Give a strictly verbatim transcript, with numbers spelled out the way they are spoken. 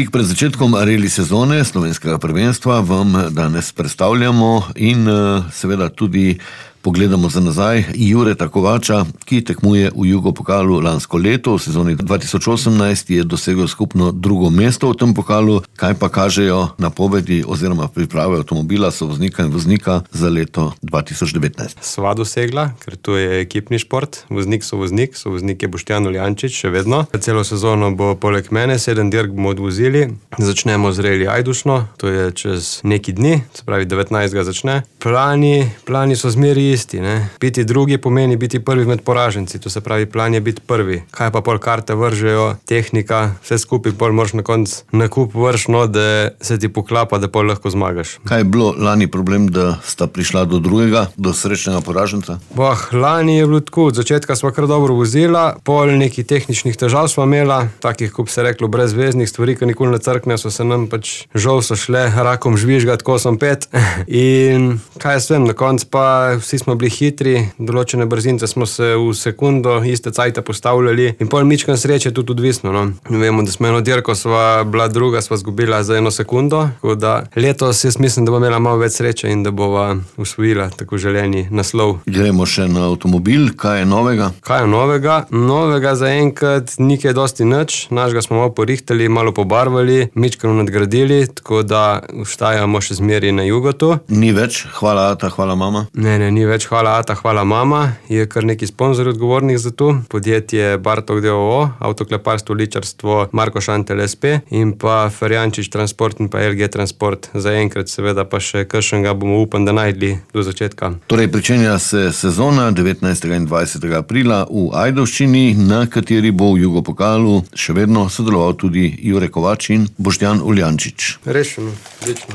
Tik pred začetkom reli sezone slovenskega prvenstva vam danes predstavljamo in seveda tudi pogledamo za nazaj Jureta Kovača, ki tekmuje v Jugopokalu lansko leto. V sezoni dva tisoč osemnajst je dosegel skupno drugo mesto v tem pokalu. Kaj pa kažejo napovedi oziroma priprave avtomobila, sovoznika in voznika za leto dva tisoč devetnajst? Sva dosegla, ker to je ekipni šport. Voznik so voznik, sovoznik je Boštjan Uljančič, še vedno. Celo sezono bo poleg mene, sedem dirk bomo odvozili. Začnemo z reli Ajdušno, to je čez neki dni, se pravi devetnajstega začne. Plani, plani so zmeri isti, ne. Biti drugi pomeni biti prvi med poraženci, to se pravi plan je biti prvi. Kaj pa pol karte vržejo, tehnika, vse skupaj pol moraš na konc nakup vrš, no, da se ti poklapa, da pol lahko zmagaš. Kaj je bilo lani problem, da sta prišla do drugega, do srečnega poraženca? Boh, lani je bilo tako, od začetka sva kar dobro vozila, pol nekih tehničnih težav sva imela, takih, kot bi se reklo, brezveznih stvari, ki nikoli ne crkne, so se nam pač žal so šle rakom žvižgat, ko sem pet. In kaj jaz vem, na konc pa vsi smo bili hitri, določene brzince smo se v sekundo iste cajte postavljali in pol mičkan sreče tudi odvisno, no. Vemo, da smo eno dirko sva bila druga, sva zgubila za eno sekundo, tako da letos jaz mislim, da bo imela malo več sreče in da bova usvojila tako želeni naslov. Gremo še na avtomobil, kaj je novega? Kaj je novega? Novega zaenkrat ni kaj dosti nič, našega smo malo porihtali, malo pobarvali, mičkano nadgradili, tako da ostajamo še zmeri na Jugotu. Ni več hvala ata, hvala mama? Ne, ne, ni več hvala ata, hvala mama, je kar neki sponzorji odgovornih za to. Podjetje Bartok d. o. o., avtokleparstvo, ličarstvo, Marko Šantel es pe in pa Ferjančič Transport in pa el ge Transport. Zaenkrat seveda pa še kakšnega bomo upam, da najdli do začetka. Torej, pričenja se sezona devetnajstega in dvajsetega aprila v Ajdovščini, na kateri bo v Jugopokalu še vedno sodeloval tudi Jure Kovač in Boštjan Uljančič. Rešeno, večno.